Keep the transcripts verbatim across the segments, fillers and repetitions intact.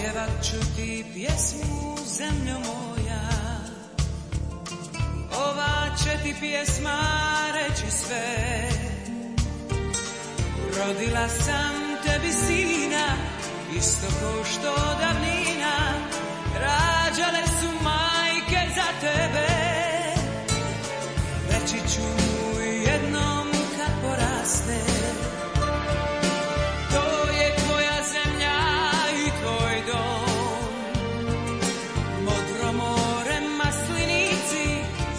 Pjevat ću ti pjesmu, zemljo moja, ova će ti pjesma reći sve. Rodila sam tebi sina, isto ko što davnina rađale su majke za tebe. Reći ću mu jednom kad poraste, to je tvoja zemlja i tvoj dom. Modro more, maslinici,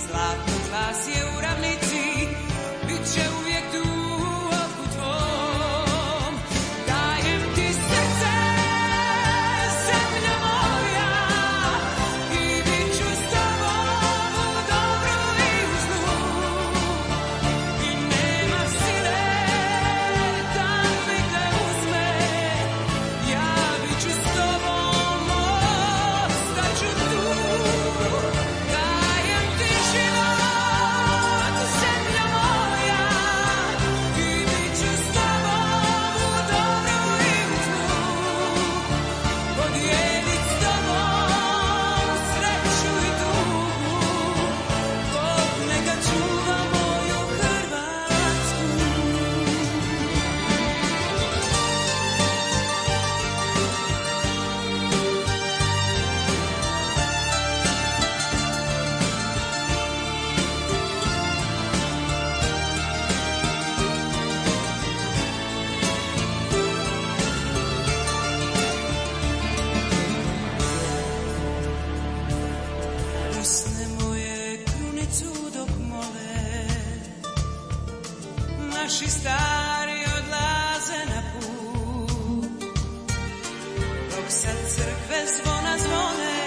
zlatno glas je u ravnici, bit će uvijek tu oku tvom. Dajem ti srce, zemlja moja, i bit ću s tobom u dobru i u zlu. I nema sile da mi te uzme, ja bit ću s tobom, ostaću tu. Dajem ti život, zemlja moja, i bit ću s tobom u dobru i u zlu. Podijelit s tobom sreću i tugu, Bog neka čuva moju Hrvatsku. Usne moje krunicu dok mole, naši stari odlaze na put. Dok sad crkve zvona zvone,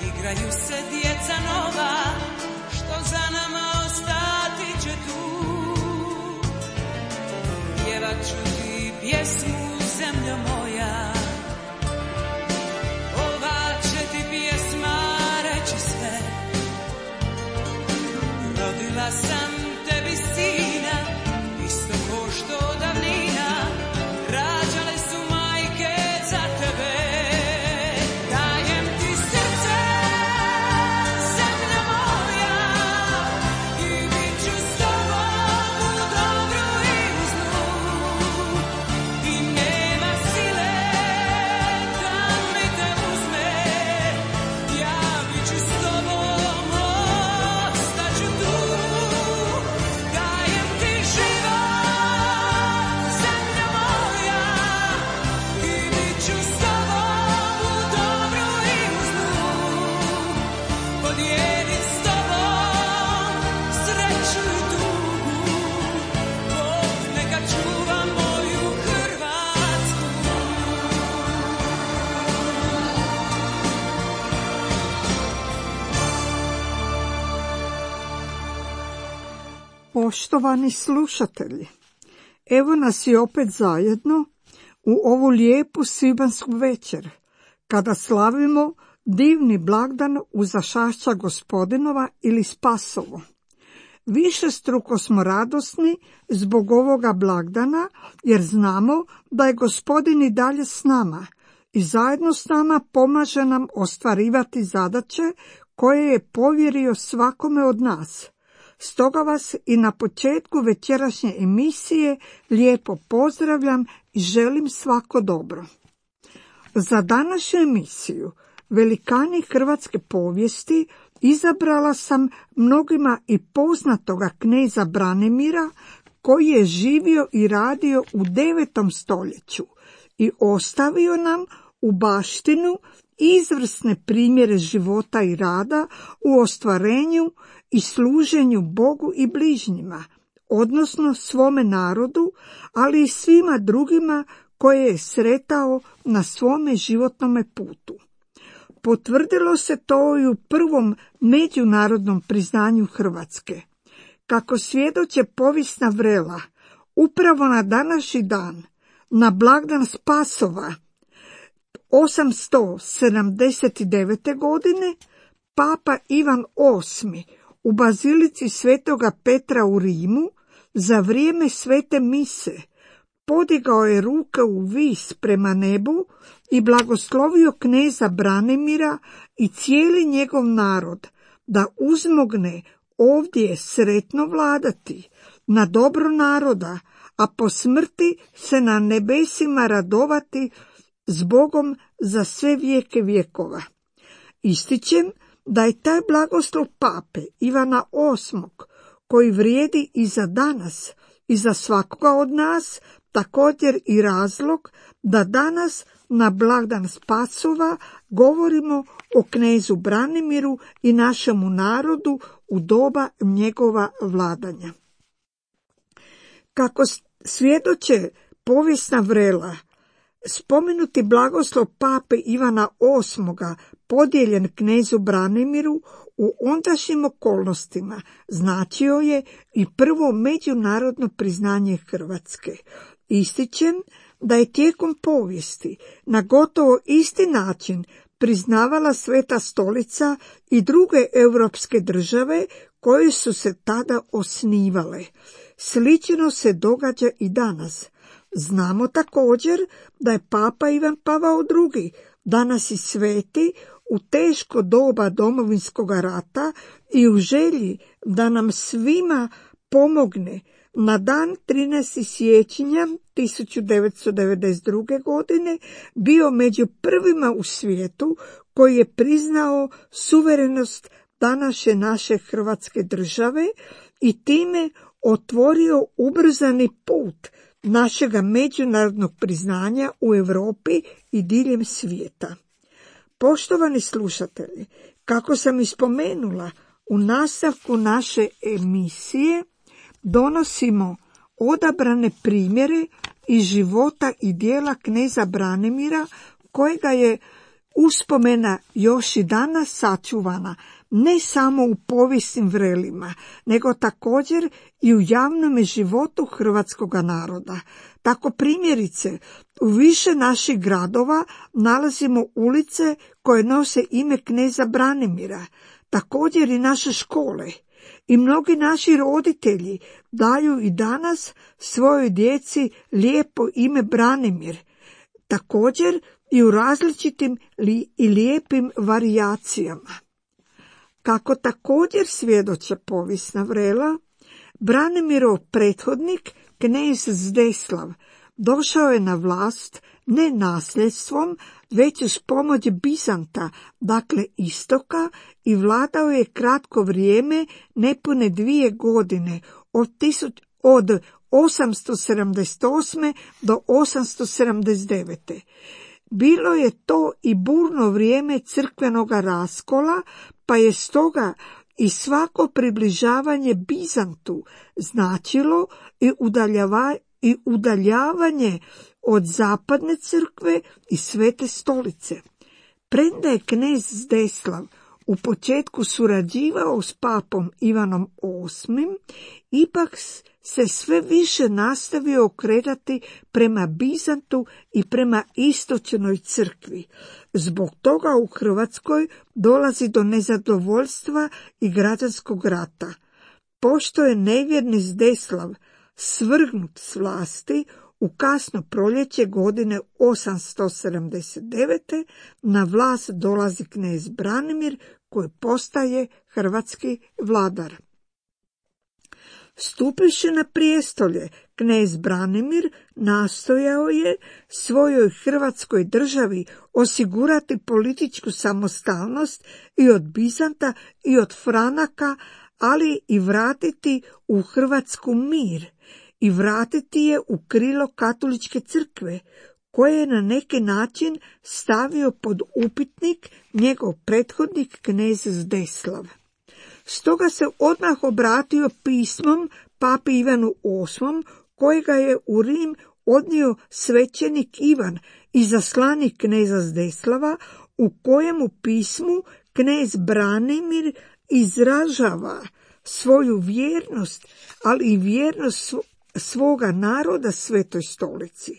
igraju se djeca nova, što za nama ostati će tu. Pjevat ću ti pjesmu, zemljo moja, ova će ti pjesma reći sve. Rodila sam tebi sina, isto ko što davnina rađale su majke za tebe. Dajem ti srce, zemlja moja, i bit ću s tobom u dobru i u zlu. I nema sile da mi te uzme, ja bit ću s tobom, ostaću tu. Dajem ti život, zemlja moja, i bit ću s tobom u dobru i u zlu. Podijelit s tobom sreću i tugu, Bog neka čuva moju Hrvatsku. Poštovani slušatelji, evo nas i opet zajedno u ovu lijepu svibanjsku večer, kada slavimo divni blagdan Uzašašća Gospodinova ili Spasovo. Višestruko smo radosni zbog ovoga blagdana, jer znamo da je Gospodin i dalje s nama i zajedno s nama pomaže nam ostvarivati zadaće koje je povjerio svakome od nas. Stoga vas i na početku večerašnje emisije lijepo pozdravljam i želim svako dobro. Za današnju emisiju Velikani hrvatske povijesti izabrala sam mnogima i poznatoga kneza Branimira, koji je živio i radio u devetom stoljeću i ostavio nam u baštinu izvrsne primjere života i rada u ostvarenju i služenju Bogu i bližnjima, odnosno svome narodu, ali i svima drugima koje je sretao na svome životnome putu. Potvrdilo se to i u prvom međunarodnom priznanju Hrvatske. Kako svjedoče povijesna vrela, upravo na današnji dan, na blagdan Spasova, osamsto sedamdeset devete. godine, Papa Ivan osmi u bazilici Svetoga Petra u Rimu za vrijeme svete mise podigao je ruke u vis prema nebu i blagoslovio kneza Branimira i cijeli njegov narod da uzmogne ovdje sretno vladati na dobro naroda, a po smrti se na nebesima radovati s Bogom za sve vijeke vjekova. Ističem da je taj blagoslov pape Ivana osmog, koji vrijedi i za danas i za svakoga od nas, također i razlog da danas na blagdan Spasova govorimo o knezu Branimiru i našemu narodu u doba njegova vladanja. Kako svjedoče povijesna vrela, spomenuti blagoslov pape Ivana osmoga podijeljen knezu Branimiru u ondašnjim okolnostima značio je i prvo međunarodno priznanje Hrvatske. Ističem da je tijekom povijesti na gotovo isti način priznavala Sveta Stolica i druge europske države koje su se tada osnivale. Slično se događa i danas. Znamo također da je papa Ivan Pavao drugi, danas i sveti, u teško doba Domovinskog rata i u želji da nam svima pomogne, na dan trinaestog siječnja tisuću devetsto devedeset druge. godine bio među prvima u svijetu koji je priznao suverenost današnje naše Hrvatske države i time otvorio ubrzani put našega međunarodnog priznanja u Europi i diljem svijeta. Poštovani slušatelji, kako sam ispomenula, u nastavku naše emisije donosimo odabrane primjere iz života i djela kneza Branimira, kojega je uspomena još i danas sačuvana ne samo u povijesnim vrelima, nego također i u javnom životu hrvatskog naroda. Tako primjerice, u više naših gradova nalazimo ulice koje nose ime kneza Branimira, također i naše škole. I mnogi naši roditelji daju i danas svojoj djeci lijepo ime Branimir, također i u različitim li i lijepim varijacijama. Kako također svjedoče povijesna vrela, Branimirov prethodnik, knez Zdeslav, došao je na vlast ne nasljedstvom, već uz pomoć Bizanta, dakle istoka, i vladao je kratko vrijeme, nepune dvije godine, od, tisuć, od osamsto sedamdeset osme. do osamsto sedamdeset devete. Bilo je to i burno vrijeme crkvenoga raskola, pa je stoga i svako približavanje Bizantu značilo i udaljavanje i udaljavanje od zapadne crkve i Svete Stolice. Premda je knez Zdeslav u početku surađivao s papom Ivanom osmim, ipak se sve više nastavio okretati prema Bizantu i prema istočnoj crkvi. Zbog toga u Hrvatskoj dolazi do nezadovoljstva i građanskog rata. Pošto je nevjerni Zdeslav svrgnut s vlasti, u kasno proljeće godine osamsto sedamdeset devete. na vlast dolazi knez Branimir, koji postaje hrvatski vladar. Stupivši na prijestolje, knez Branimir nastojao je svojoj Hrvatskoj državi osigurati političku samostalnost i od Bizanta i od Franaka, ali i vratiti u Hrvatsku mir i vratiti je u krilo katoličke crkve, koje je na neki način stavio pod upitnik njegov prethodnik knez Zdeslav. Stoga se odmah obratio pismom papi Ivanu osmom, kojega je u Rim odnio svećenik Ivan, izaslanik kneza Zdeslava, u kojemu pismu knez Branimir izražava svoju vjernost, ali i vjernost svoga naroda Svetoj Stolici.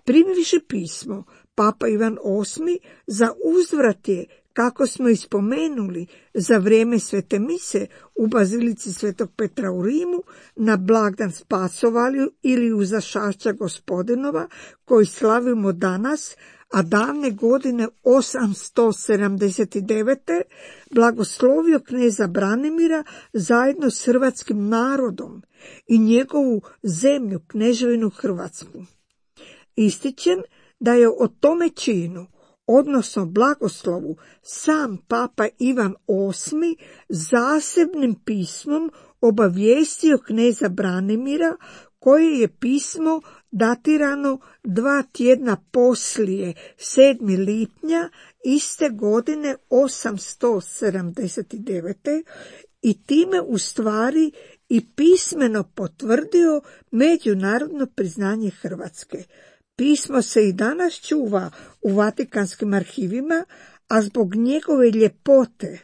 Primivši pismo, papa Ivan osmi za uzvrat je kako smo ispomenuli za vrijeme svete mise u bazilici svetog Petra u Rimu, na blagdan Spasovalju ili uzašašća Gospodinova, koji slavimo danas, a davne godine osamsto sedamdeset devete. blagoslovio kneza Branimira zajedno s hrvatskim narodom i njegovu zemlju, kneževinu Hrvatsku. Ističem da je o tome činu, odnosno blagoslovu, sam papa Ivan osmi zasebnim pismom obavijestio kneza Branimira, koje je pismo datirano dva tjedna poslije, sedmog lipnja iste godine osamsto sedamdeset devete. i time u stvari i pismeno potvrdio međunarodno priznanje Hrvatske. Pismo se i danas čuva u Vatikanskim arhivima, a zbog njegove ljepote,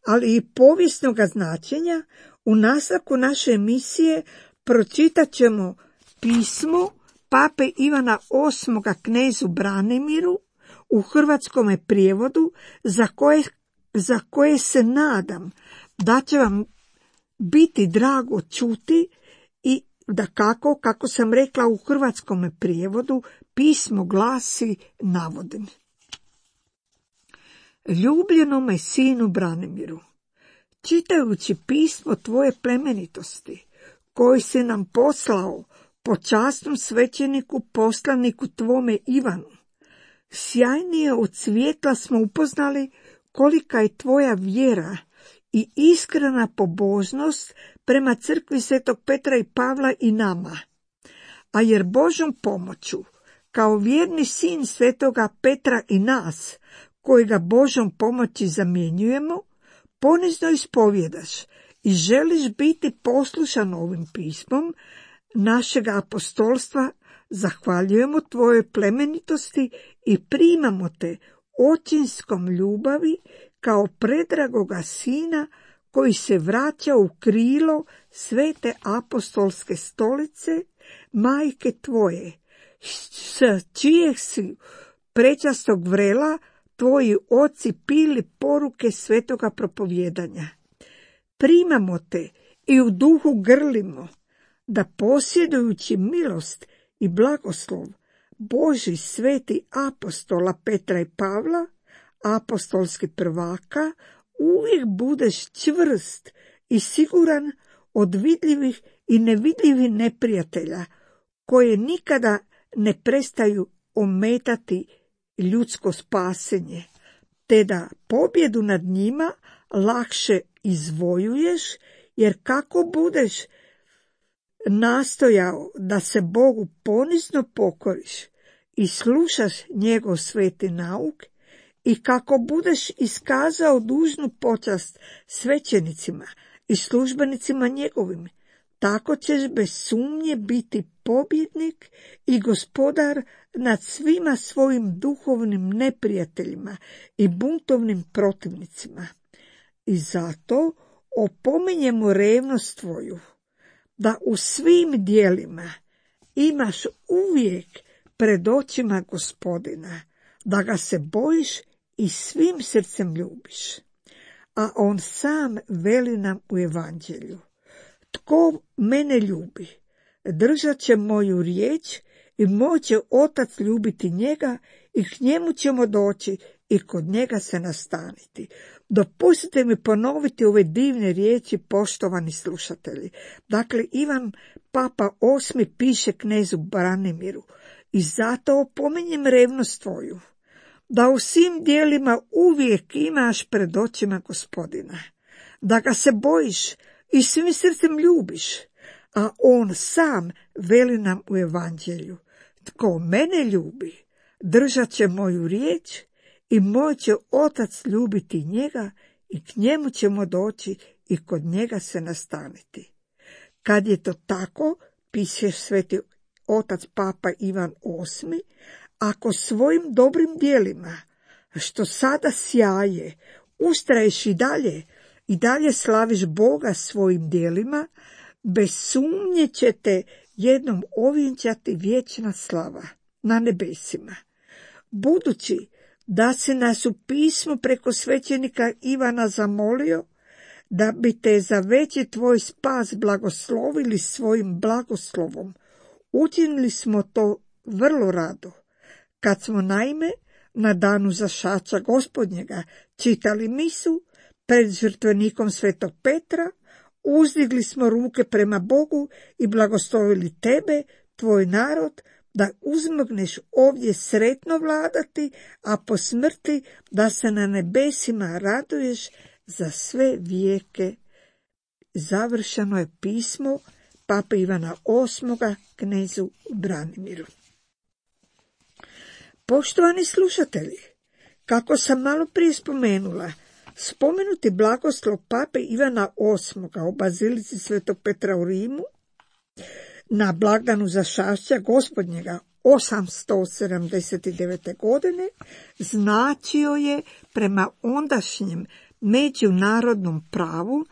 ali i povijesnog značenja, u nastavku naše emisije pročitat ćemo pismo pape Ivana osmog knezu Branimiru u hrvatskome prijevodu, za koje, za koje se nadam da će vam biti drago čuti i da kako, kako sam rekla u hrvatskome prijevodu, pismo glasi, navodim. Ljubljenome sinu Branimiru, čitajući pismo tvoje plemenitosti, koji si nam poslao po časnom svećeniku poslaniku tvome Ivanu, sjajnije od svjetla smo upoznali kolika je tvoja vjera i iskrena pobožnost prema crkvi svetog Petra i Pavla i nama. A jer Božom pomoću, kao vjerni sin svetoga Petra i nas, koji ga Božom pomoći zamjenjujemo, ponizno ispovjedaš i želiš biti poslušan ovim pismom našega apostolstva, zahvaljujemo tvojoj plemenitosti i primamo te očinskom ljubavi kao predragoga sina koji se vraća u krilo svete apostolske stolice, majke tvoje, s čijeg si prečastog vrela tvoji oci pili poruke svetoga propovjedanja. Primamo te i u duhu grlimo, da posjedujući milost i blagoslov Božji sveti apostola Petra i Pavla, apostolski prvaka, uvijek budeš čvrst i siguran od vidljivih i nevidljivih neprijatelja, koje nikada ne prestaju ometati ljudsko spasenje, te da pobjedu nad njima lakše izvojuješ, jer kako budeš nastojao da se Bogu ponizno pokoriš i slušaš njegov sveti nauk, i kako budeš iskazao dužnu počast svećenicima i službenicima njegovim, tako ćeš bez sumnje biti pobjednik i gospodar nad svima svojim duhovnim neprijateljima i buntovnim protivnicima. I zato opominjemo revnost tvoju, da u svim dijelima imaš uvijek pred očima Gospodina, da ga se bojiš i svim srcem ljubiš. A on sam veli nam u evanđelju: tko mene ljubi, držat će moju riječ i moj će otac ljubiti njega i k njemu ćemo doći i kod njega se nastaniti. Dopustite mi ponoviti ove divne riječi, poštovani slušatelji. Dakle, Ivan Papa osmi piše knezu Branimiru: i zato opominjem revnost tvoju, da u svim dijelima uvijek imaš pred očima Gospodina, da ga se bojiš i svim srcem ljubiš, a on sam veli nam u evanđelju: tko mene ljubi, držat će moju riječ i moj će otac ljubiti njega i k njemu ćemo doći i kod njega se nastaniti. Kad je to tako, piše sveti otac Papa Ivan osmi, ako svojim dobrim dijelima, što sada sjaje, ustraješ i dalje, i dalje slaviš Boga svojim dijelima, bez sumnje će te jednom ovjenčati vječna slava na nebesima. Budući da si nas u pismu preko svećenika Ivana zamolio da bi te za veći tvoj spas blagoslovili svojim blagoslovom. Učinili smo to vrlo rado, kad smo naime na danu zašaća Gospodnjega čitali misu pred žrtvenikom Svetog Petra, uzdigli smo ruke prema Bogu i blagoslovili tebe, tvoj narod, da uzmogneš ovdje sretno vladati, a po smrti da se na nebesima raduješ za sve vijeke. Završeno je pismo Pape Ivana osmog knezu Branimiru. Poštovani slušatelji, kako sam malo prije spomenula, spomenuti blagoslov Pape Ivana osmog u bazilici Svetog Petra u Rimu na blagdanu zašašća Gospodnjega osamsto sedamdeset devete. godine značio je prema ondašnjem međunarodnom pravu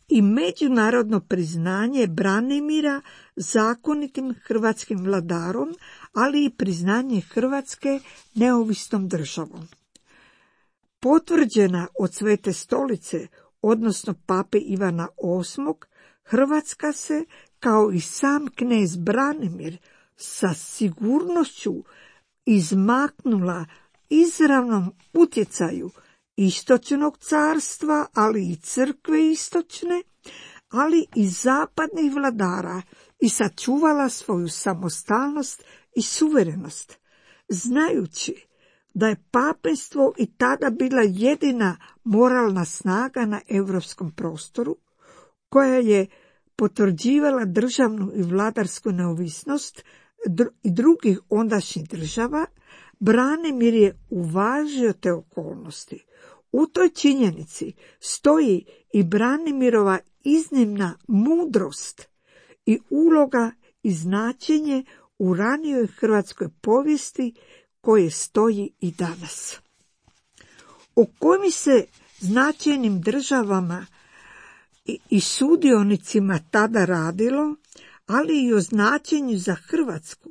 i međunarodno priznanje Branimira zakonitim hrvatskim vladarom, ali i priznanje Hrvatske neovisnom državom. Potvrđena od Svete stolice, odnosno Pape Ivana osmog, Hrvatska se, kao i sam knez Branimir, sa sigurnošću izmaknula izravnom utjecaju istočnog carstva, ali i crkve istočne, ali i zapadnih vladara, i sačuvala svoju samostalnost i suverenost, znajući da je papenstvo i tada bila jedina moralna snaga na europskom prostoru, koja je potvrđivala državnu i vladarsku neovisnost i drugih ondašnjih država. Branimir je uvažio te okolnosti. U toj činjenici stoji i Branimirova iznimna mudrost i uloga i značenje u ranijoj hrvatskoj povijesti koje stoji i danas. O kojim se značajnim državama i, i sudionicima tada radilo, ali i o značenju za Hrvatsku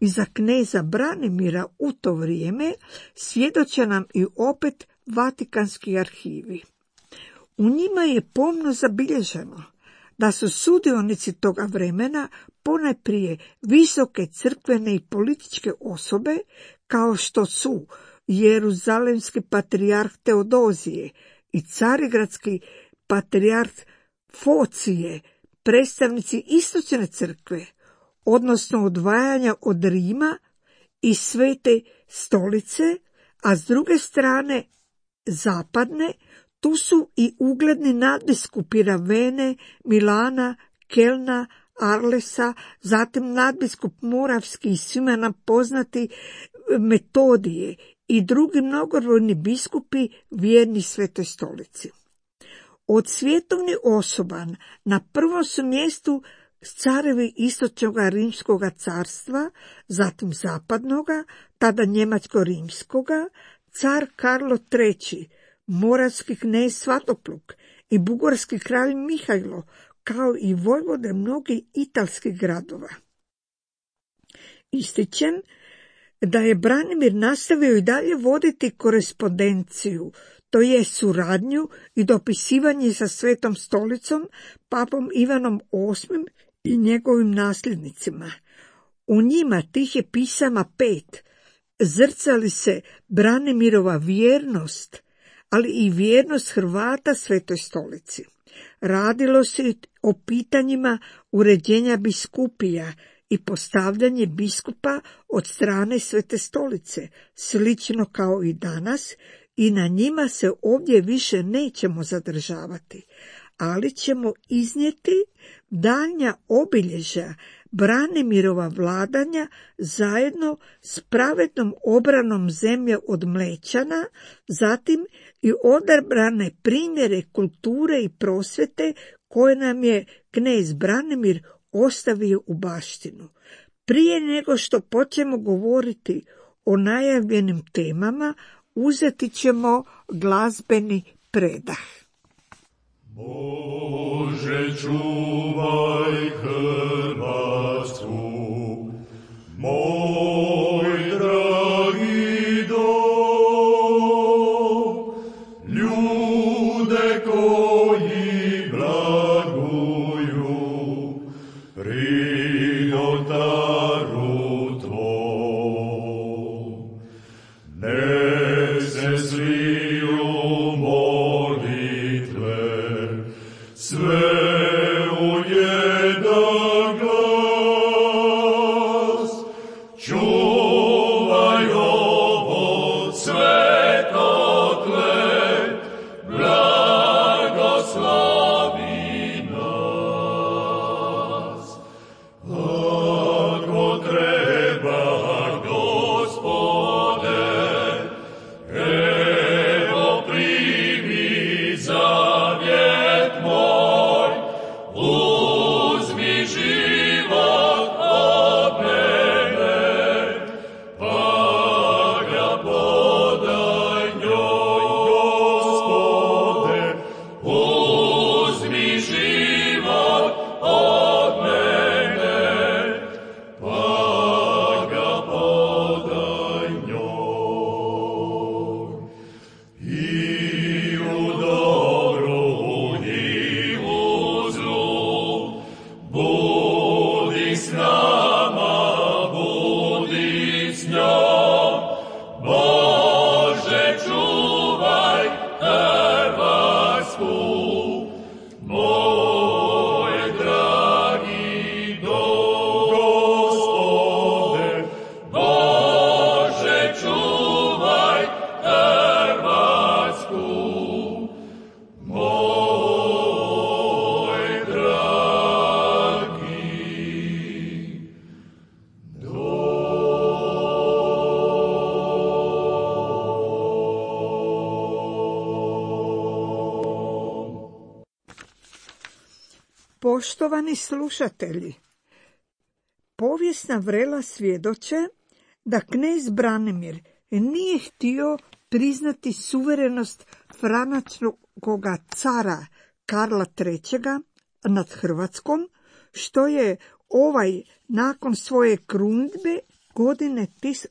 i za kneza Branimira u to vrijeme, svjedoče nam i opet Vatikanski arhivi. U njima je pomno zabilježeno da su sudionici toga vremena ponajprije visoke crkvene i političke osobe, kao što su jeruzalemski patrijarh Teodozije i carigradski patrijarh Focije, predstavnici istočne crkve, odnosno odvajanja od Rima i Svete stolice, a s druge strane zapadne, tu su i ugledni nadbiskupi Ravene, Milana, Kelna, Arlesa, zatim nadbiskup Moravski i svima nam poznati Metodije i drugi mnogobrojni biskupi vjerni Svetoj stolici. Od svjetovnih osoba na prvom su mjestu carevi istočnog rimskog carstva, zatim zapadnoga, tada njemačko-rimskoga, car Karlo treći, moravski knez Svatopluk i bugarski kralj Mihajlo, kao i vojvode mnogih italskih gradova. Ističem da je Branimir nastavio i dalje voditi korespondenciju, to je suradnju i dopisivanje sa Svetom stolicom, papom Ivanom osmim i njegovim nasljednicima. U njima, tih je pisama pet, zrcali se Branimirova vjernost, ali i vjernost Hrvata Svetoj stolici. Radilo se o pitanjima uređenja biskupija i postavljanje biskupa od strane Svete stolice, slično kao i danas, i na njima se ovdje više nećemo zadržavati, ali ćemo iznijeti daljnja obilježja Branimirova vladanja zajedno s pravednom obranom zemlje od Mlečana, zatim i odabrane primjere kulture i prosvjete koje nam je knez Branimir ostavio u baštinu. Prije nego što počnemo govoriti o najavljenim temama, uzeti ćemo glazbeni predah. Bože, čuvaj Hrvatsku, moj dragi dom. Poštovani slušatelji, povijesna vrela svjedoče da knez Branimir nije htio priznati suverenost franačkoga cara Karla trećega nad Hrvatskom, što je ovaj nakon svoje krunidbe godine, tis,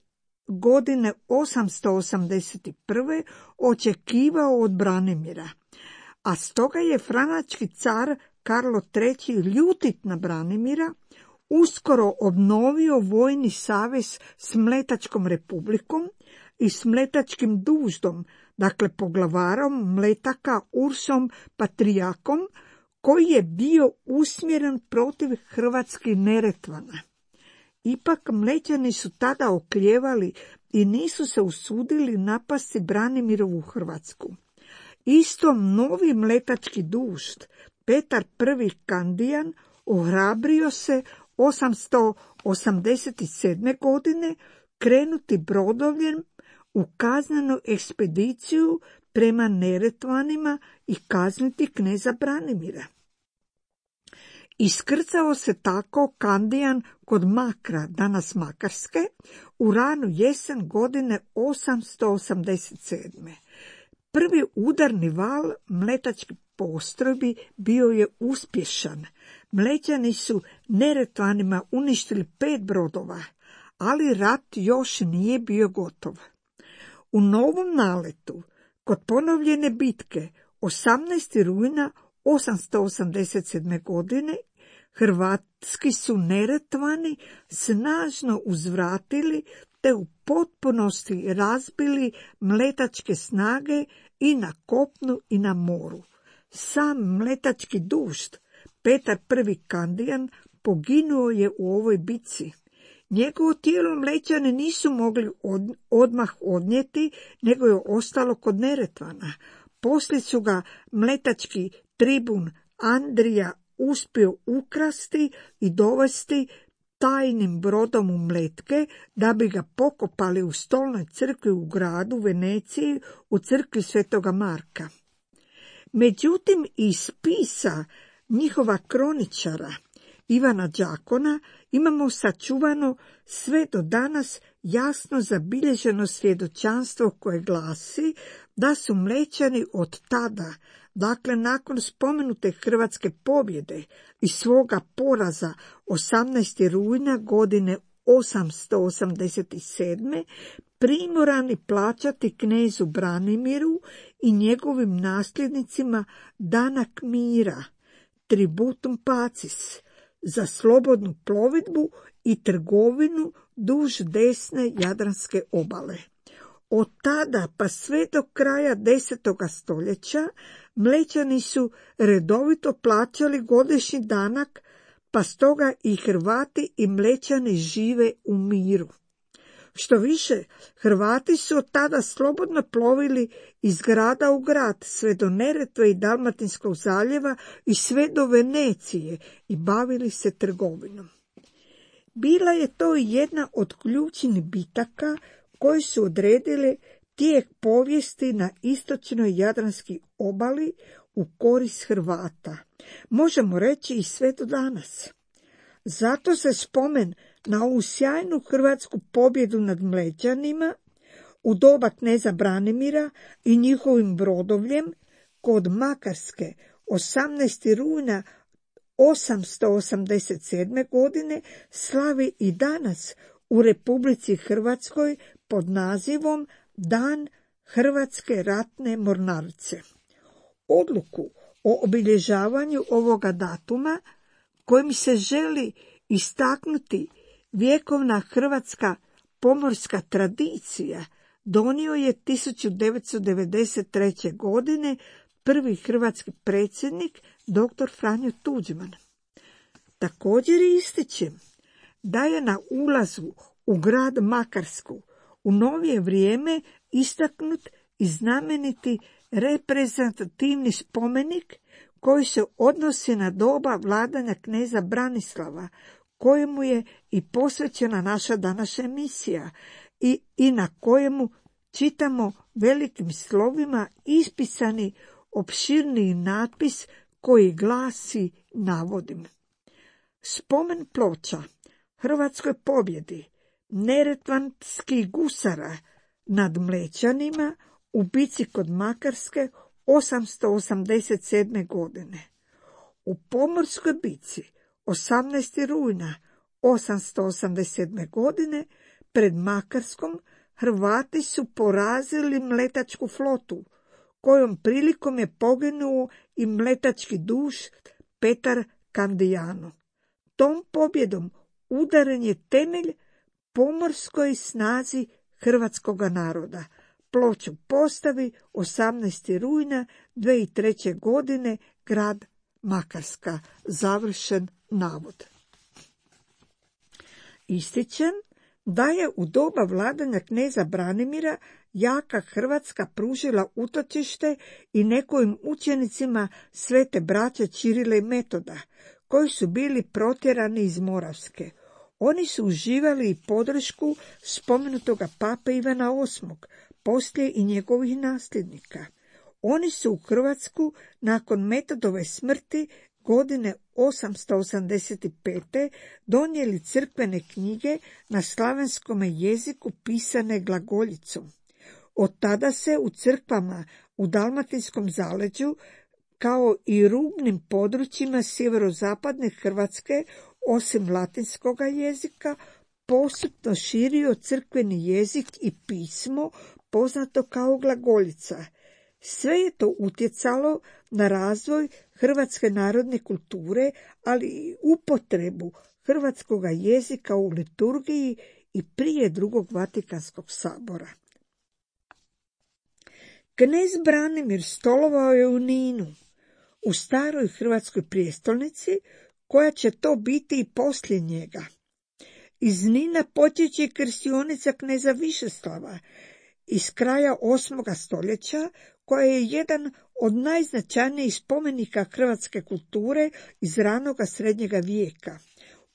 godine osamsto osamdeset prve očekivao od Branimira, a stoga je franački car Karlo treći ljutit na Branimira uskoro obnovio vojni savez s Mletačkom republikom i s Mletačkim duždom, dakle poglavarom Mletaka Ursom Patrijakom, koji je bio usmjeren protiv hrvatskih Neretvana. Ipak Mlećani su tada oklijevali i nisu se usudili napasti Branimirovu Hrvatsku. Isto novi Mletački dužd, Petar prvi Kandijan, ohrabrio se osamsto osamdeset sedme. godine krenuti brodovljem u kaznenu ekspediciju prema Neretvanima i kazniti kneza Branimira. Iskrcao se tako Kandijan kod Makra, danas Makarske, u ranu jesen godine osamsto osamdeset sedme. Prvi udarni val mletačkih postrojbi bio je uspješan. Mlećani su Neretvanima uništili pet brodova, ali rat još nije bio gotov. U novom naletu, kod ponovljene bitke osamnaestog rujna osamsto osamdeset sedme. godine, hrvatski su Neretvani snažno uzvratili te u potpunosti razbili mletačke snage i na kopnu i na moru. Sam mletački dužd, Petar prvi Kandijan, poginuo je u ovoj bitci. Njegovo tijelo Mlećani nisu mogli od, odmah odnijeti, nego je ostalo kod Neretvana. Poslije su ga mletački tribun Andrija uspio ukrasti i dovesti tajnim brodom u Mletke, da bi ga pokopali u stolnoj crkvi u gradu Veneciji, u crkvi Svetoga Marka. Međutim, iz spisa njihova kroničara Ivana Đakona imamo sačuvano sve do danas jasno zabilježeno svjedočanstvo koje glasi da su Mlećani od tada, dakle nakon spomenute hrvatske pobjede i svoga poraza osamnaestog rujna godine osamsto osamdeset sedme. primorani plaćati knezu Branimiru i njegovim nasljednicima danak mira, tributum pacis, za slobodnu plovidbu i trgovinu duž desne Jadranske obale. Od tada pa sve do kraja desetoga stoljeća Mlećani su redovito plaćali godišnji danak, pa stoga i Hrvati i Mlećani žive u miru. Što više, Hrvati su od tada slobodno plovili iz grada u grad, sve do Neretve i Dalmatinskog zaljeva i sve do Venecije i bavili se trgovinom. Bila je to jedna od ključnih bitaka koje su odredile tijek povijesti na istočnoj Jadranskoj obali u korist Hrvata. Možemo reći i sve do danas. Zato se spomen na ovu sjajnu hrvatsku pobjedu nad Mlećanima u doba kneza Branimira i njihovim brodovljem kod Makarske osamnaestog rujna osamsto osamdeset sedme. godine slavi i danas u Republici Hrvatskoj pod nazivom Dan Hrvatske ratne mornarice. Odluku o obilježavanju ovoga datuma, kojim se želi istaknuti vjekovna hrvatska pomorska tradicija, donio je tisuću devetsto devedeset treće. godine prvi hrvatski predsjednik doktor Franjo Tuđman. Također ističem da je na ulazu u grad Makarsku u novije vrijeme istaknut i znameniti reprezentativni spomenik koji se odnosi na doba vladanja kneza Branislava, kojemu je i posvećena naša današnja emisija i, i na kojemu čitamo velikim slovima ispisani opširniji natpis koji glasi navodim. Spomen ploča hrvatskoj pobjedi neretvanskih gusara nad Mlečanima u bici kod Makarske osamsto osamdeset sedme. godine. U Pomorskoj bici osamnaestog rujna osamsto osamdeset sedme. godine pred Makarskom Hrvati su porazili mletačku flotu, kojom prilikom je poginuo i mletački duš Petar Kandijano. Tom pobjedom udaren je temelj pomorskoj snazi hrvatskoga naroda. Ploču postavi osamnaestog rujna dve hiljade treće. godine grad Makarska. Završen navod. Ističem da je u doba vladanja kneza Branimira jaka Hrvatska pružila utočište i nekim učenicima svete braće Ćirila i Metoda, koji su bili protjerani iz Moravske. Oni su uživali i podršku spomenutoga pape Ivana osmog, poslije i njegovih nasljednika. Oni su u Hrvatsku nakon Metodove smrti godine osamsto osamdeset pete. donijeli crkvene knjige na slavenskom jeziku pisane glagoljicom. Od tada se u crkvama u Dalmatinskom zaleđu, kao i rubnim područjima sjeverozapadne Hrvatske, osim latinskoga jezika, postupno širio crkveni jezik i pismo poznato kao glagoljica. Sve je to utjecalo na razvoj hrvatske narodne kulture, ali i upotrebu hrvatskoga jezika u liturgiji i prije drugog Vatikanskog sabora. Knez Branimir stolovao je u Ninu, u staroj hrvatskoj prijestolnici, koja će to biti i poslije njega. Iz Nina potječe krstionica kneza Višeslava iz kraja osmoga stoljeća, koja je jedan od najznačajnijih spomenika hrvatske kulture iz ranoga srednjega vijeka.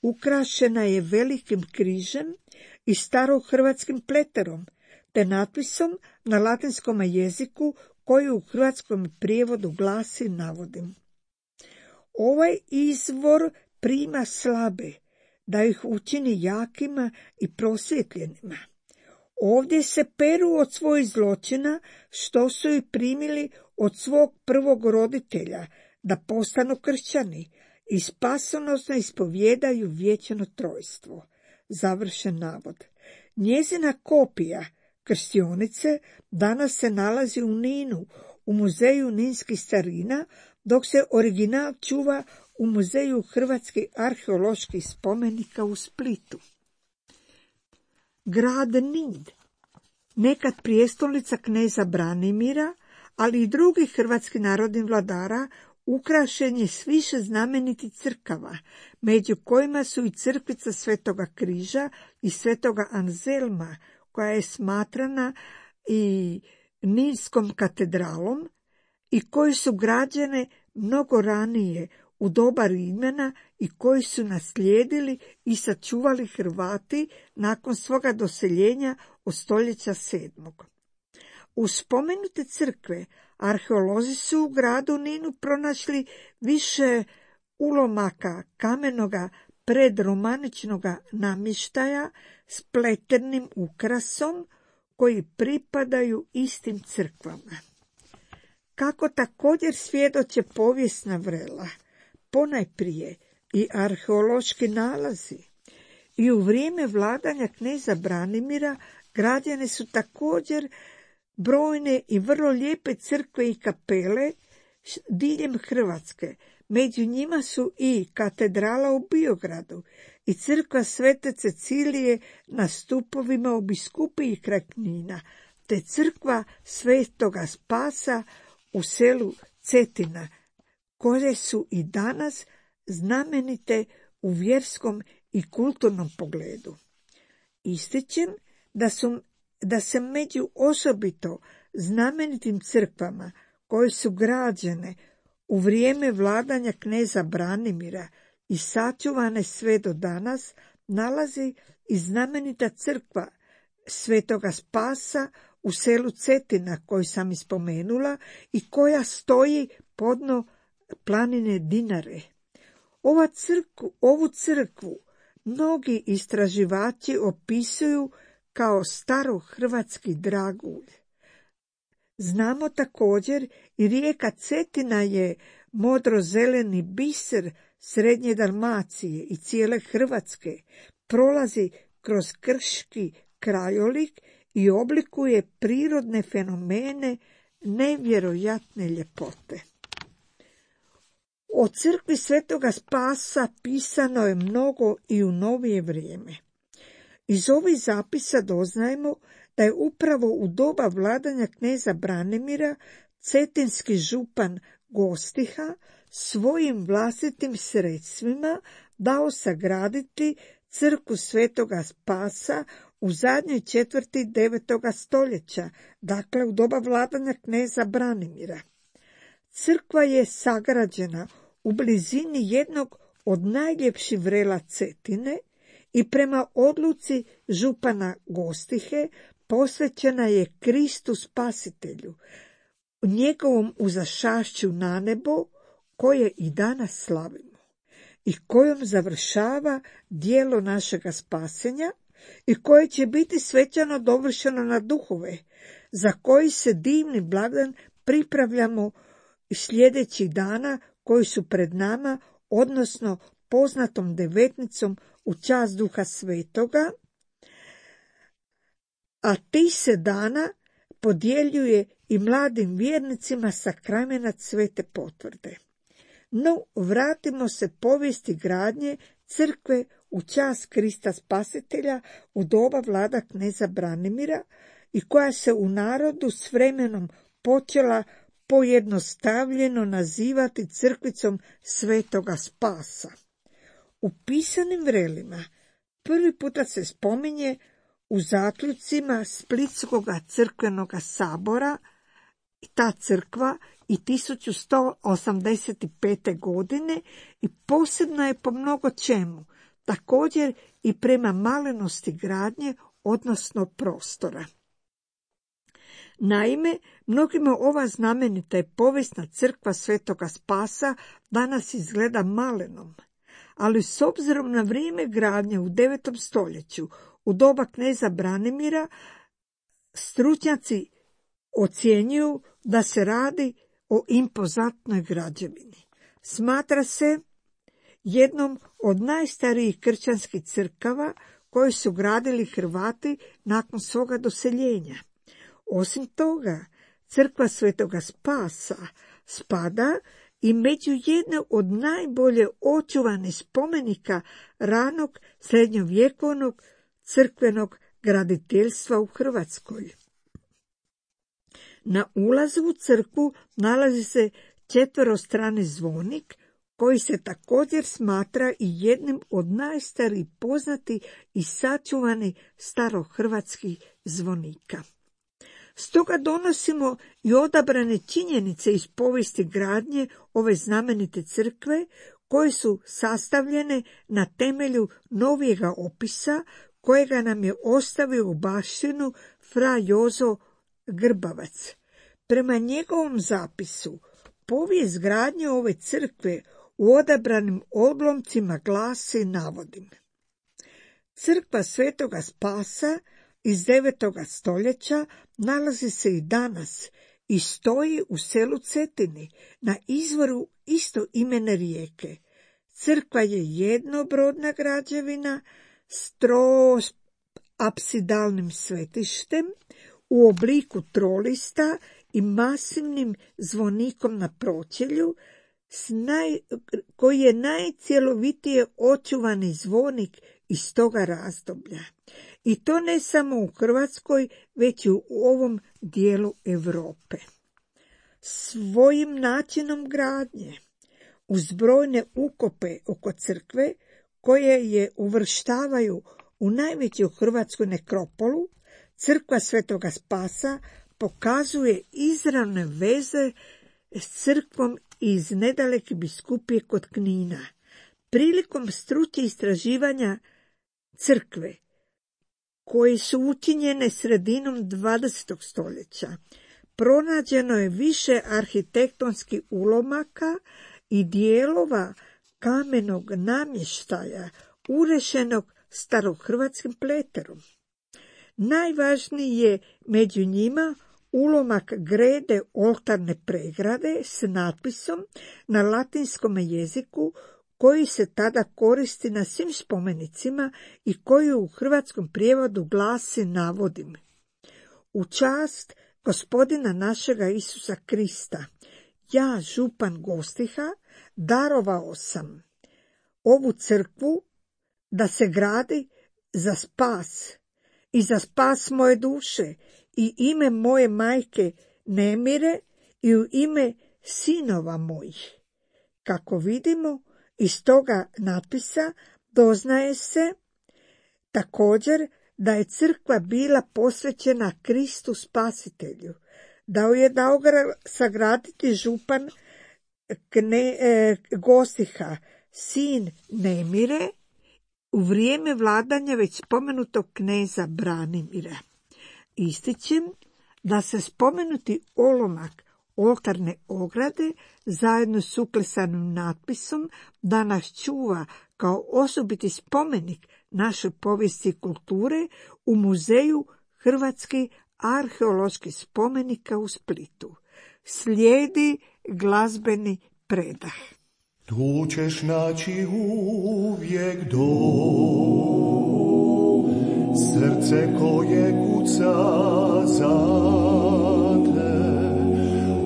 Ukrašena je velikim križem i starohrvatskim pleterom, te natpisom na latinskom jeziku koji u hrvatskom prijevodu glasi, navodim: ovaj izvor prima slabe, da ih učini jakima i prosvjetljenima. Ovdje se peru od svojih zločina, što su ih primili od svog prvog roditelja, da postanu kršćani i spasonosno ispovjedaju vječno trojstvo. Završen navod. Njezina kopija krstionice danas se nalazi u Ninu, u muzeju ninskih starina, dok se original čuva u muzeju hrvatskih arheoloških spomenika u Splitu. Grad Nin, nekad prijestolnica kneza Branimira, ali i drugih hrvatskih narodnih vladara, ukrašen je s više znamenitih crkava, među kojima su i crkvica Svetoga križa i Svetoga Anzelma, koja je smatrana i Ninskom katedralom i koji su građene mnogo ranije, u doba Rimljana, i koji su naslijedili i sačuvali Hrvati nakon svoga doseljenja od stoljeća sedmog. U spomenute crkve arheolozi su u gradu Ninu pronašli više ulomaka kamenoga predromaničnoga namještaja s pletenim ukrasom koji pripadaju istim crkvama. Kako također svjedoče povijesna vrela, ponajprije i arheološki nalazi, i u vrijeme vladanja kneza Branimira građene su također brojne i vrlo lijepe crkve i kapele diljem Hrvatske. Među njima su i katedrala u Biogradu i crkva Svete Cecilije na stupovima u Biskupiji kraj Knina, te crkva Svetoga Spasa u selu Cetina, koje su i danas znamenite u vjerskom i kulturnom pogledu. Ističem da, su, da se među osobito znamenitim crkvama koje su građene u vrijeme vladanja kneza Branimira i sačuvane sve do danas, nalazi i znamenita crkva Svetoga Spasa u selu Cetina, koju sam ispomenula i koja stoji podno planine Dinare. Ova crkvu, ovu crkvu mnogi istraživači opisuju kao starohrvatski dragulj. Znamo također i rijeka Cetina je modrozeleni biser srednje Dalmacije i cijele Hrvatske, prolazi kroz krški krajolik i oblikuje prirodne fenomene nevjerojatne ljepote. O crkvi Svetoga Spasa pisano je mnogo i u novije vrijeme. Iz ovih zapisa doznajemo da je upravo u doba vladanja kneza Branimira cetinski župan Gostiha svojim vlastitim sredstvima dao sagraditi crkvu Svetoga Spasa u zadnjoj četvrti devetoga stoljeća, dakle u doba vladanja kneza Branimira. Crkva je sagrađena u blizini jednog od najljepših vrela Cetine i prema odluci župana Gostihe posvećena je Kristu Spasitelju, njegovom uzašašću na nebo, koje i danas slavimo i kojom završava djelo našega spasenja i koje će biti svečano dovršeno na duhove, za koji se divni blagdan pripravljamo sljedećih dana koji su pred nama, odnosno poznatom devetnicom u čast Duha Svetoga, a ti se dana podjeljuje i mladim vjernicima sakramenat svete potvrde. No, vratimo se povijesti gradnje crkve u čast Krista Spasitelja u doba vlada kneza Branimira i koja se u narodu s vremenom počela pojednostavljeno nazivati crkvicom Svetoga Spasa. U pisanim vrelima prvi puta se spominje u zaključcima Splitskog crkvenog sabora i ta crkva i tisuću sto osamdeset pete. godine i posebno je po mnogo čemu, također i prema malenosti gradnje, odnosno prostora. Naime, mnogima ova znamenita i povijesna crkva Svetoga Spasa danas izgleda malenom, ali s obzirom na vrijeme gradnje u devetom stoljeću, u doba kneza Branimira, stručnjaci ocjenjuju da se radi o impozantnoj građevini. Smatra se jednom od najstarijih kršćanskih crkava koje su gradili Hrvati nakon svoga doseljenja. Osim toga, crkva Svetoga Spasa spada i među jedne od najbolje očuvanih spomenika ranog srednjovjekovnog crkvenog graditeljstva u Hrvatskoj. Na ulazu u crkvu nalazi se četverostrani zvonik koji se također smatra i jednim od najstarijih poznatih i sačuvanih starohrvatskih zvonika. Stoga donosimo i odabrane činjenice iz povijesti gradnje ove znamenite crkve koje su sastavljene na temelju novijega opisa kojega nam je ostavio u baštinu fra Jozo Grbavac. Prema njegovom zapisu, povijest gradnje ove crkve u odabranim odlomcima glasi, navodim: Crkva Svetoga Spasa iz devetoga stoljeća nalazi se i danas i stoji u selu Cetini na izvoru istoimene rijeke. Crkva je jednobrodna građevina s troapsidalnim svetištem u obliku trolista i masivnim zvonikom na pročelju, s naj, koji je najcjelovitije očuvani zvonik iz toga razdoblja. I to ne samo u Hrvatskoj, već i u ovom dijelu Europe. Svojim načinom gradnje, uz brojne ukope oko crkve, koje je uvrštavaju u najveću hrvatsku nekropolu, crkva Svetoga Spasa pokazuje izravne veze s crkvom iz nedaleke biskupije kod Knina. Prilikom stručnih istraživanja crkve, koje su učinjene sredinom dvadesetog stoljeća, pronađeno je više arhitektonskih ulomaka i dijelova kamenog namještaja urešenog starohrvatskim pleterom. Najvažniji je među njima ulomak grede oltarne pregrade s natpisom na latinskom jeziku koji se tada koristi na svim spomenicima i koji u hrvatskom prijevodu glasi, navodim: u čast Gospodina našega Isusa Krista, ja, župan Gostiha, darovao sam ovu crkvu da se gradi za spas i za spas moje duše i ime moje majke Nemire i u ime sinova mojih. Kako vidimo, iz toga natpisa doznaje se također da je crkva bila posvećena Kristu Spasitelju, da je dao ga sagraditi župan Kne, e, Gostiha, sin Nemire, u vrijeme vladanja već spomenutog kneza Branimira. Ističem da se spomenuti olomak oltarne ograde zajedno s uklesanim natpisom danas čuva kao osobiti spomenik naše povijesti i kulture u Muzeju hrvatskih arheoloških spomenika u Splitu. Slijedi glazbeni predah. Tu ćeš naći uvijek dom, srce koje kuca za te,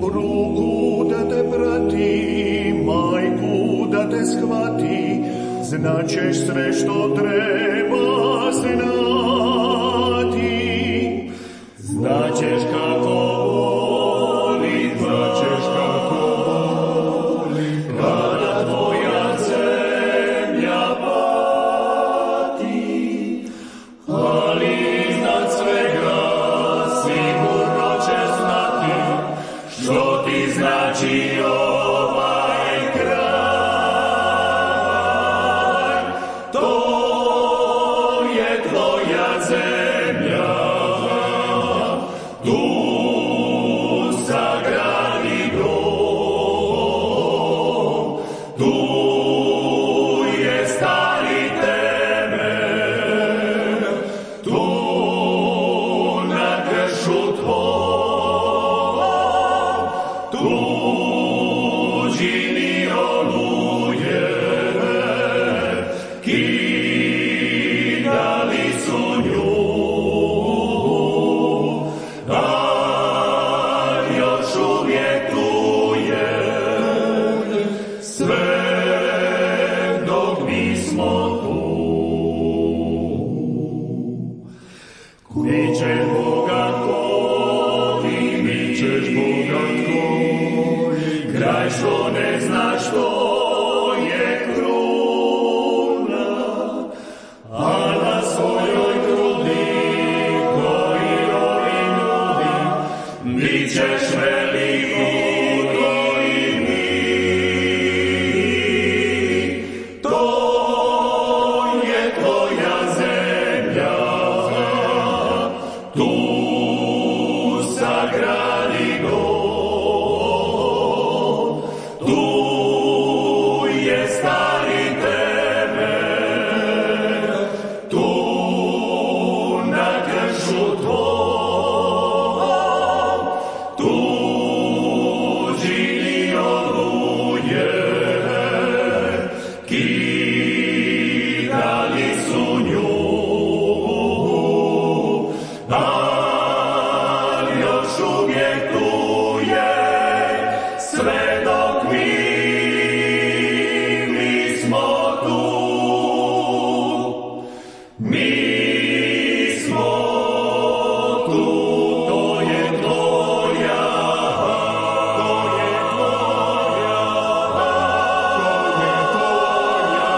ruku da te prati, majku da te shvati, znaćeš sve što treba znati, znaćeš kako voli, znaćeš kako voli, kada tvoja zemlja pati, ali iznad svega sigurno ćeš znati što ti znači ovaj kraj. To je tvoja zemlja, tu sagradi dom, tu je stari temelj, tu na kršu tvoj, tu čini oluje, kidali su nju, a još uvijek tu je, sve dok mi smo tu. Mi ćeš Boga koji, mi ćeš Boga koji, kraj što ne zna što je kruna, a na svojoj grudi koji ovi ljudi, bit ćeš veliki koji mi. To je tvoja zemlja, tu sagradi dom, tu je stari temelj, tu na kršu tvoj, tu čini oluje, kidali su nju, a još uvijek tu je, sve dok mi, mi smo tu, mi smo tu. To je tvoja, to je tvoja, to je tvoja,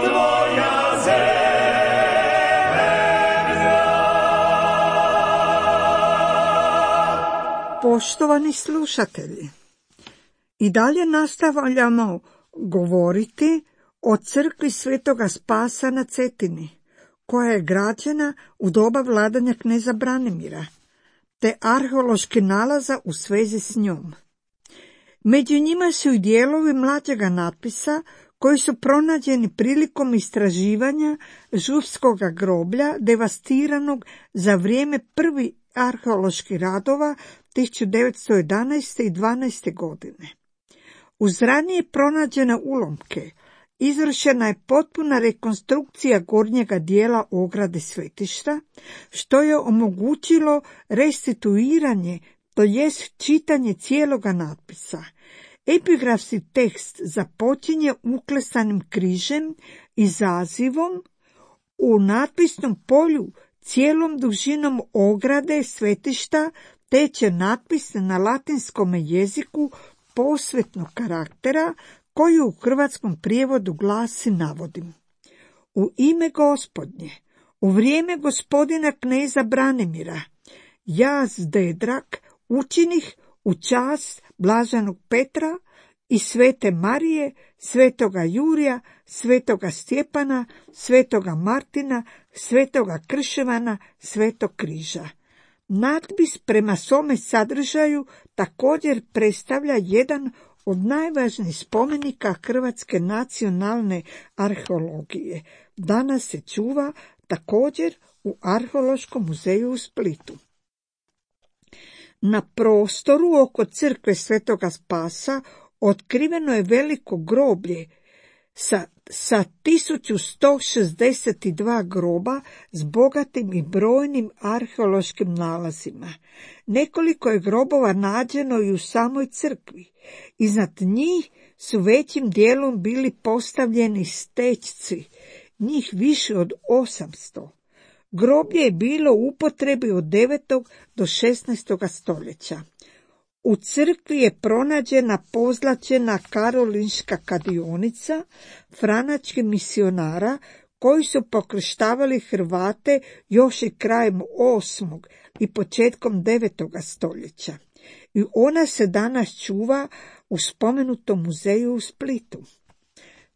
tvoja zemlja. Poštovani slušatelji, i dalje nastavljamo govoriti o crkvi Svetoga Spasa na Cetini, koja je građena u doba vladanja kneza Branimira, te arheološki nalaza u svezi s njom. Među njima su i dijelovi mlađega natpisa koji su pronađeni prilikom istraživanja župskoga groblja devastiranog za vrijeme prvih arheoloških radova tisuću devetsto jedanaeste. i dvanaeste. godine. Uz ranije pronađene ulomke izvršena je potpuna rekonstrukcija gornjega dijela ograde svetišta, što je omogućilo restituiranje, to jest čitanje cijeloga natpisa. Epigrafski tekst započinje uklesanim križem i zazivom u natpisnom polju cijelom dužinom ograde svetišta teče natpis na latinskom jeziku posvetnog karaktera koji u hrvatskom prijevodu glasi, navodim: U ime Gospodnje, u vrijeme gospodina kneza Branimira, ja Zdedrak učinih u čast blaženog Petra i svete Marije, svetoga Jurija, svetoga Stjepana, svetoga Martina, svetoga Krševana, svetog križa. Natpis prema svome sadržaju također predstavlja jedan od najvažnijih spomenika hrvatske nacionalne arheologije. Danas se čuva također u Arheološkom muzeju u Splitu. Na prostoru oko crkve Svetoga Spasa otkriveno je veliko groblje sa, sa tisuću sto šezdeset dva groba s bogatim i brojnim arheološkim nalazima. Nekoliko je grobova nađeno i u samoj crkvi. Iznad njih su većim dijelom bili postavljeni stećci, njih više od osamsto. Groblje je bilo u upotrebi od devetog do šesnaestog stoljeća. U crkvi je pronađena pozlaćena karolinška kadionica franačkih misionara koji su pokrštavali Hrvate još i krajem osmog i početkom devetog stoljeća. I ona se danas čuva u spomenutom muzeju u Splitu.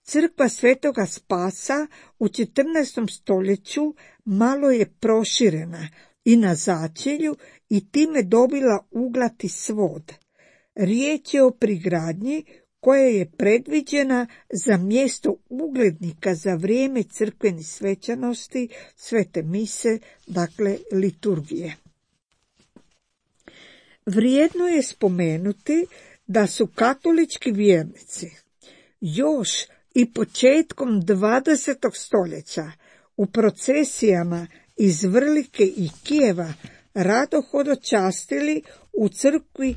Crkva Svetoga Spasa u četrnaestom stoljeću malo je proširena i na začelju i time dobila uglati svod. Riječ je o prigradnji koja je predviđena za mjesto uglednika za vrijeme crkvenih svečanosti, svete mise, dakle liturgije. Vrijedno je spomenuti da su katolički vjernici još i početkom dvadesetog stoljeća u procesijama iz Vrlike i Kijeva rado hodočastili u crkvi,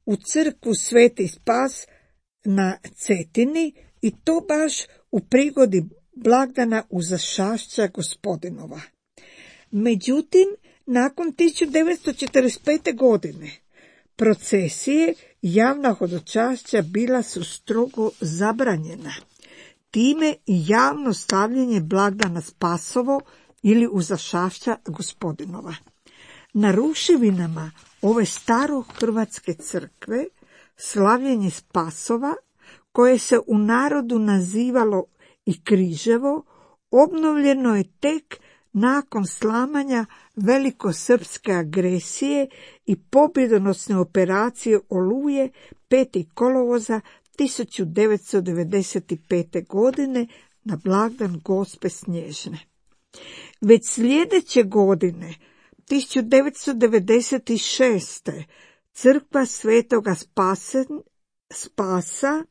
u crkvu Sveti Spas na Cetini i to baš u prigodi blagdana Uzašašća Gospodinova. Međutim, nakon tisuću devetsto četrdeset pete. godine procesije i javna hodočašća bila su strogo zabranjena. Time i javno slavljenje blagdana Spasovo ili Uzašašća Gospodinova. Na ruševinama ove starohrvatske crkve slavljenje Spasova, koje se u narodu nazivalo i Križevo, obnovljeno je tek nakon slamanja velikosrpske agresije i pobjedonosne operacije Oluje petog kolovoza tisuću devetsto devedeset pete. godine na blagdan Gospe Snježne. Već sljedeće godine, tisuću devetsto devedeset šeste. crkva Svetoga Spasen, Spasa,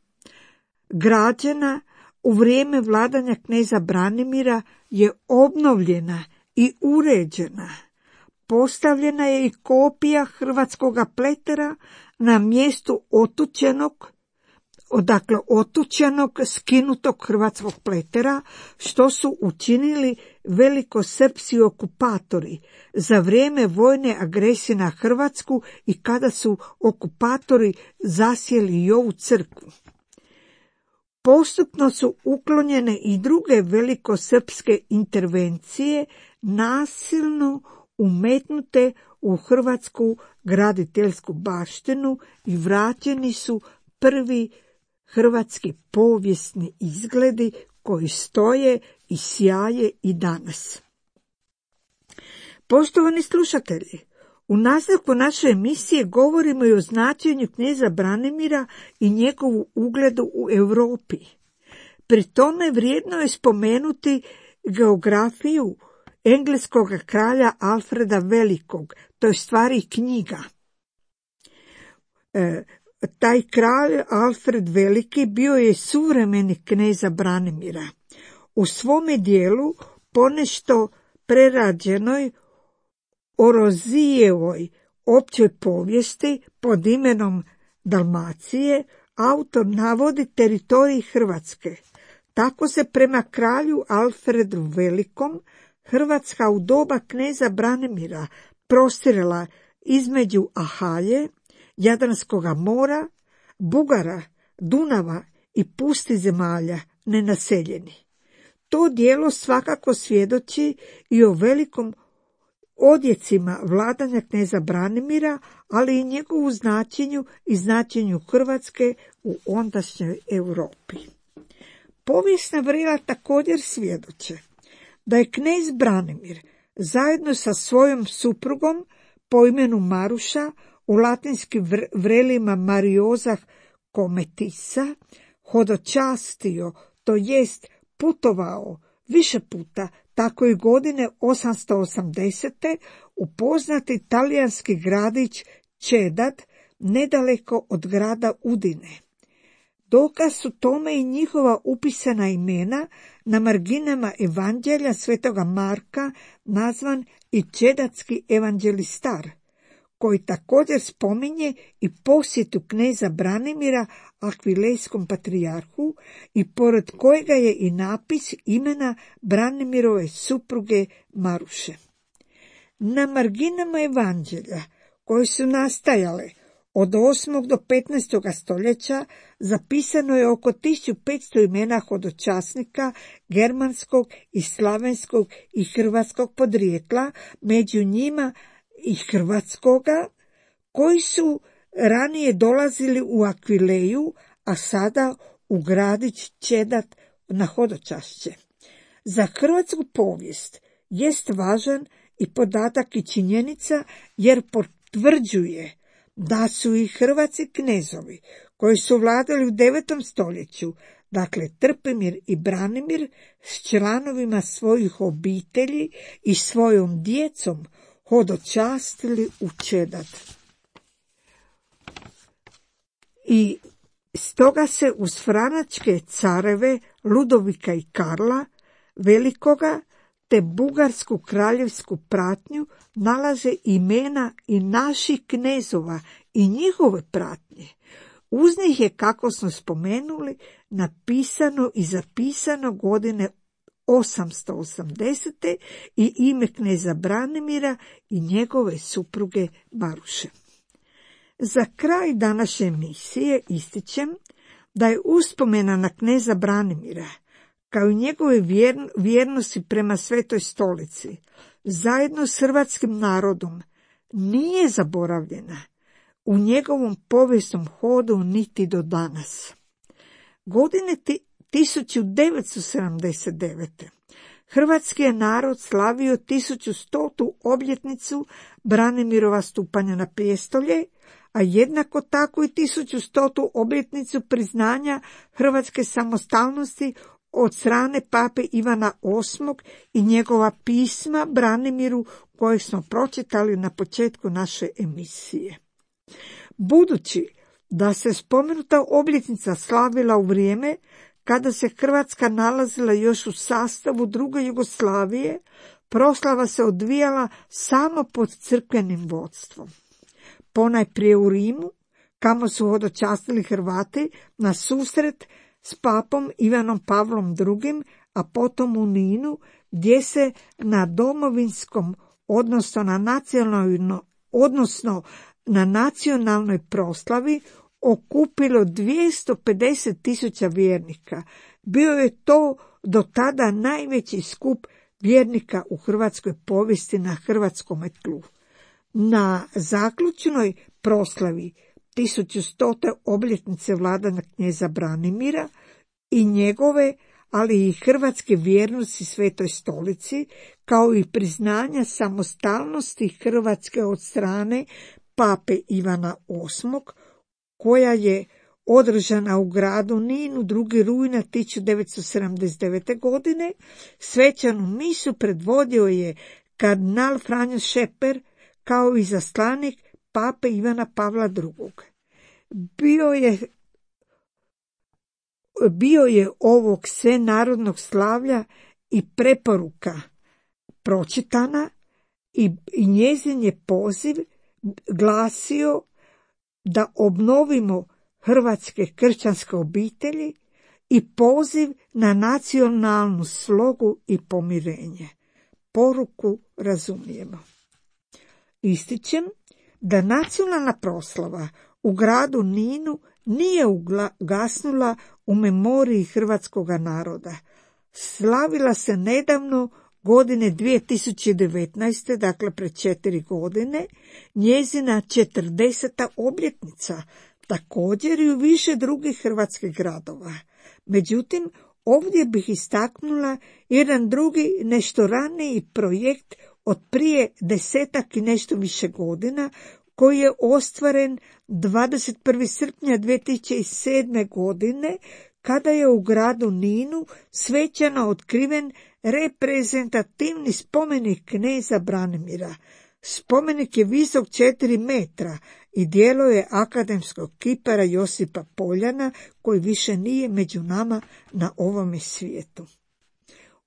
građena u vrijeme vladanja kneza Branimira, je obnovljena i uređena. Postavljena je i kopija hrvatskoga pletera na mjestu otučenog, odakle otučenog skinutog hrvatskog pletera, što su učinili velikosrpski okupatori za vrijeme vojne agresije na Hrvatsku i kada su okupatori zasjeli i ovu crkvu. Postupno su uklonjene i druge velikosrpske intervencije nasilno umetnute u hrvatsku graditeljsku baštinu i vraćeni su prvi hrvatski povijesni izgledi koji stoje i sjaje i danas. Poštovani slušatelji, U nastavku naše emisije govorimo i o značenju kneza Branimira i njegovu ugledu u Europi. Pri tome vrijedno je spomenuti geografiju engleskog kralja Alfreda Velikog, to je stvari knjiga. E, taj kralj Alfred Veliki bio je suvremenik kneza Branimira. U svome dijelu, ponešto prerađenoj Orozijevoj općoj povijesti pod imenom Dalmacije, autor navodi teritorij Hrvatske. Tako se prema kralju Alfredu Velikom Hrvatska u doba kneza Branimira prostirala između Ahalje, Jadranskoga mora, Bugara, Dunava i pusti zemalja nenaseljeni. To dijelo svakako svjedoči i o velikom odjecima vladanja kneza Branimira, ali i njegovu značenju i značenju Hrvatske u ondašnjoj Europi. Povijesna vrela također svjedoče da je knez Branimir zajedno sa svojom suprugom po imenu Maruša, u latinskim vrelima Mariozah Kometisa, hodočastio, to jest putovao više puta, tako i godine osamsto osamdesete u poznati talijanski gradić Čedat, nedaleko od grada Udine. Dokaz su tome i njihova upisana imena na marginama Evanđelja svetoga Marka, nazvan i Čedatski evanđelistar, koji također spominje i posjetu kneza Branimira Akvilejskom patrijarhu i pored kojega je i napis imena Branimirove supruge Maruše. Na marginama Evanđelja, koje su nastajale od osmog do petnaestog stoljeća, zapisano je oko tisuću petsto imena hodočasnika germanskog i slavenskog i hrvatskog podrijetla, među njima i hrvatskoga, koji su ranije dolazili u Akvileju, a sada u gradić Čedat na hodočašće. Za hrvatsku povijest jest važan i podatak i činjenica, jer potvrđuje da su i hrvatski knezovi koji su vladali u devetom stoljeću, dakle Trpimir i Branimir, s članovima svojih obitelji i svojom djecom hodočastili u Čedat. I stoga se uz franačke careve Ludovika i Karla Velikoga te bugarsku kraljevsku pratnju nalaze imena i naših knezova i njihove pratnje. Uz njih je, kako smo spomenuli, napisano i zapisano godine osamsto osamdesete i ime kneza Branimira i njegove supruge Maruše. Za kraj današnje emisije ističem da je uspomena na kneza Branimira, kao i njegove vjernosti prema Svetoj stolici, zajedno s hrvatskim narodom, nije zaboravljena u njegovom povijesnom hodu niti do danas. Godine tisuću devetsto sedamdeset devete. hrvatski je narod slavio tisuću stotu obljetnicu Branimirova stupanja na prijestolje, a jednako tako i tisuću stotu obljetnicu priznanja hrvatske samostalnosti od strane pape Ivana osmog i njegova pisma Branimiru kojeg smo pročitali na početku naše emisije. Budući da se spomenuta obljetnica slavila u vrijeme kada se Hrvatska nalazila još u sastavu druge Jugoslavije, proslava se odvijala samo pod crkvenim vodstvom. Ponajprije u Rimu, kamo su hodočastili Hrvati na susret s papom Ivanom Pavlom drugim, a potom u Ninu, gdje se na domovinskom, odnosno na nacionalno, odnosno na nacionalnoj proslavi okupilo dvjesto pedeset tisuća vjernika. Bio je to do tada najveći skup vjernika u hrvatskoj povijesti na hrvatskom tlu. Na zaključnoj proslavi tisuću stote obljetnice vladanja knjeza Branimira i njegove ali i hrvatske vjernosti Svetoj Stolici, kao i priznanja samostalnosti Hrvatske od strane pape Ivana osmog, koja je održana u gradu Ninu drugog rujna tisuću devetsto sedamdeset devete. godine, svečanu misu predvodio je kardinal Franjo Šeper, kao i izaslanik pape Ivana Pavla drugog. Bio je Bio je ovog svenarodnog slavlja i preporuka pročitana i, i njezin je poziv glasio da obnovimo hrvatske kršćanske obitelji i poziv na nacionalnu slogu i pomirenje. Poruku razumijemo. Ističem da nacionalna proslava u gradu Ninu nije ugasnula u memoriji hrvatskog naroda. Slavila se nedavno godine dvije tisuće devetnaeste. dakle pred četiri godine, njezina četrdeseta obljetnica, također i u više drugih hrvatskih gradova. Međutim, ovdje bih istaknula jedan drugi, nešto raniji projekt od prije desetak i nešto više godina, koji je ostvaren dvadeset prvog srpnja dvije tisuće sedme. godine, kada je u gradu Ninu svečano otkriven reprezentativni spomenik kneza Branimira. Spomenik je visok četiri metra i djelo je akademskog kipara Josipa Poljana, koji više nije među nama na ovome svijetu.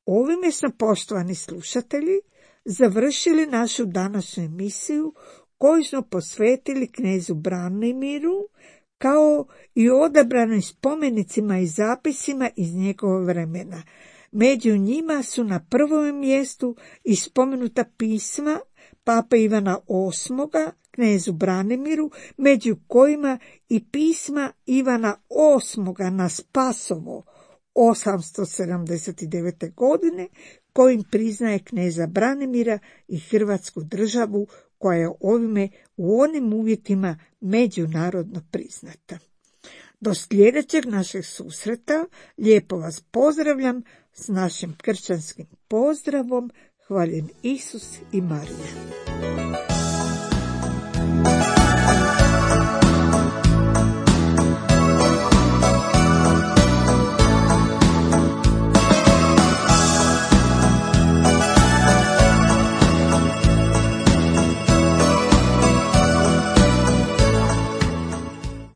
Ovime smo, poštovani slušatelji, završili našu današnju emisiju koju smo posvetili knezu Branimiru, kao i odabranim spomenicima i zapisima iz njegova vremena. Među njima su na prvom mjestu i spomenuta pisma pape Ivana osmoga, knezu Branimiru, među kojima i pisma Ivana osmoga na Spasovo osamsto sedamdeset devete. godine, kojim priznaje kneza Branimira i Hrvatsku državu, koja je ovime u onim uvjetima međunarodno priznata. Do sljedećeg našeg susreta lijepo vas pozdravljam s našim kršćanskim pozdravom. Hvaljen Isus i Marija.